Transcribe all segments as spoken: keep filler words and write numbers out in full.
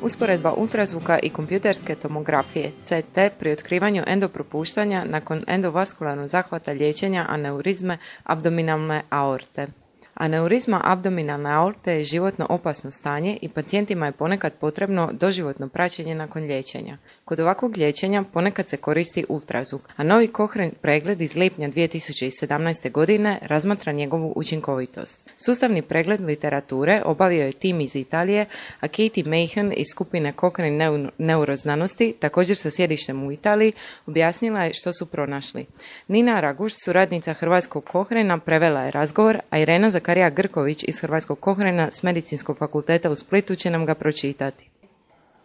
Usporedba ultrazvuka i kompjuterske tomografije C T pri otkrivanju endopropuštanja nakon endovaskularnog zahvata liječenja aneurizme abdominalne aorte. Aneurizma abdominalne aorte je životno opasno stanje i pacijentima je ponekad potrebno doživotno praćenje nakon liječenja. Kod ovakvog liječenja ponekad se koristi ultrazvuk, a novi Cochrane pregled iz lipnja dvije tisuće sedamnaeste. godine razmatra njegovu učinkovitost. Sustavni pregled literature obavio je tim iz Italije, a Katie Mahan iz skupine Cochrane neuroznanosti, također sa sjedištem u Italiji, objasnila je što su pronašli. Nina Raguš, suradnica hrvatskog Cochrana, prevela je razgovor, a Irena Zakarija Grković iz hrvatskog Cochrana s Medicinskog fakulteta u Splitu će nam ga pročitati.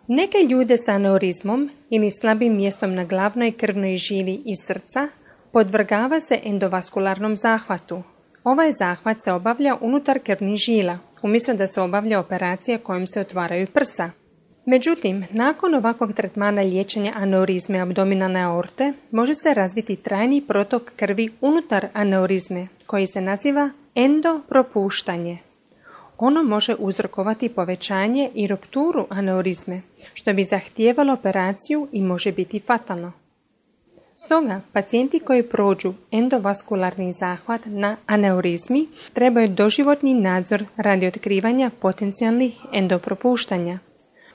Neke ljude sa aneurizmom ili slabim mjestom na glavnoj krvnoj žili iz srca podvrgava se endovaskularnom zahvatu. Ovaj zahvat se obavlja unutar krvnih žila, umjesto da se obavlja operacija kojom se otvaraju prsa. Međutim, nakon ovakvog tretmana liječenja aneurizme abdominalne aorte može se razviti trajni protok krvi unutar aneurizme koji se naziva endopropuštanje. Ono može uzrokovati povećanje i rupturu aneurizme, što bi zahtijevalo operaciju i može biti fatalno. Stoga, pacijenti koji prođu endovaskularni zahvat na aneurizmi trebaju doživotni nadzor radi otkrivanja potencijalnih endopropuštanja.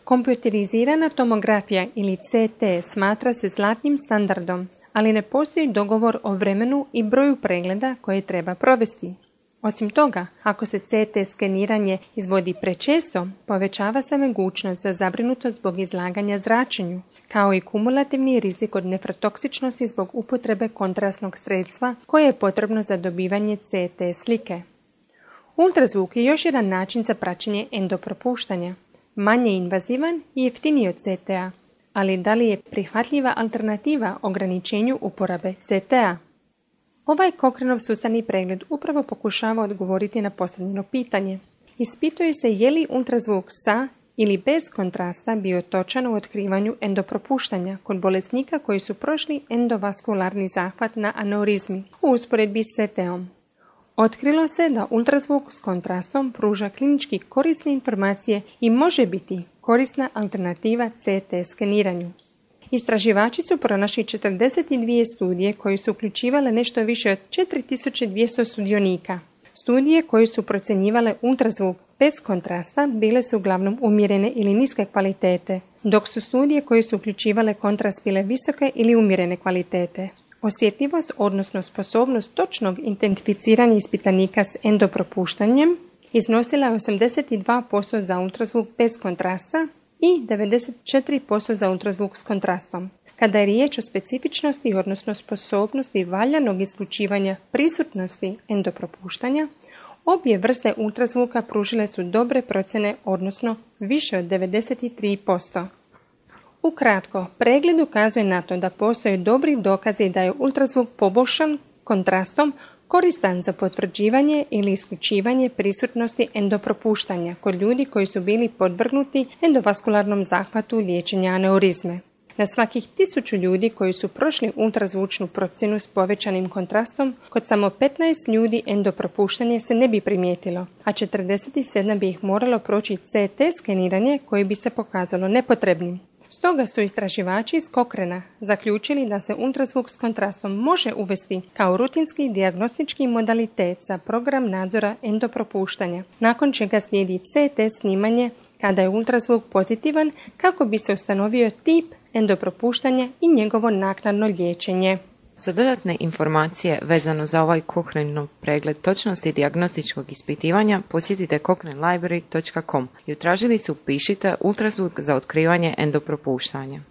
Kompjuterizirana tomografija ili C T smatra se zlatnim standardom, ali ne postoji dogovor o vremenu i broju pregleda koje treba provesti. Osim toga, ako se C T skeniranje izvodi prečesto, povećava se mogućnost za zabrinutost zbog izlaganja zračenju, kao i kumulativni rizik od nefrotoksičnosti zbog upotrebe kontrastnog sredstva koje je potrebno za dobivanje C T slike. Ultrazvuk je još jedan način za praćenje endopropuštanja, manje invazivan i jeftiniji od C T A, ali da li je prihvatljiva alternativa ograničenju uporabe C T A? Ovaj Cochranov sustavni pregled upravo pokušava odgovoriti na postavljeno pitanje. Ispituje se je li ultrazvuk sa ili bez kontrasta bio točan u otkrivanju endopropuštanja kod bolesnika koji su prošli endovaskularni zahvat na aneurizmi u usporedbi s C T-om. Otkrilo se da ultrazvuk s kontrastom pruža klinički korisne informacije i može biti korisna alternativa C T skeniranju. Istraživači su pronašli četrdeset dvije studije koje su uključivale nešto više od četiri tisuće dvjesto sudionika. Studije koje su procjenjivale ultrazvuk bez kontrasta bile su uglavnom umjerene ili niske kvalitete, dok su studije koje su uključivale kontrast bile visoke ili umjerene kvalitete. Osjetljivost, odnosno sposobnost točnog identificiranja ispitanika s endopropuštanjem iznosila je osamdeset dva posto za ultrazvuk bez kontrasta i devedeset četiri posto za ultrazvuk s kontrastom. Kada je riječ o specifičnosti, odnosno sposobnosti valjanog isključivanja prisutnosti endopropuštanja, obje vrste ultrazvuka pružile su dobre procjene, odnosno više od devedeset tri posto. Ukratko, pregled ukazuje na to da postoje dobri dokazi da je ultrazvuk poboljšan kontrastom koristan za potvrđivanje ili isključivanje prisutnosti endopropuštanja kod ljudi koji su bili podvrgnuti endovaskularnom zahvatu liječenja aneurizme. Na svakih tisuću ljudi koji su prošli ultrazvučnu procjenu s povećanim kontrastom, kod samo petnaest ljudi endopropuštanje se ne bi primijetilo, a četrdeset sedam bi ih moralo proći C T skeniranje koje bi se pokazalo nepotrebnim. Stoga su istraživači iz Cochrana zaključili da se ultrazvuk s kontrastom može uvesti kao rutinski dijagnostički modalitet za program nadzora endopropuštanja, nakon čega slijedi C T snimanje kada je ultrazvuk pozitivan kako bi se ustanovio tip endopropuštanja i njegovo naknadno liječenje. Za dodatne informacije vezano za ovaj Cochranov pregled točnosti dijagnostičkog ispitivanja posjetite cochrane library dot com i u tražilicu upišite ultrazvuk za otkrivanje endopropuštanja.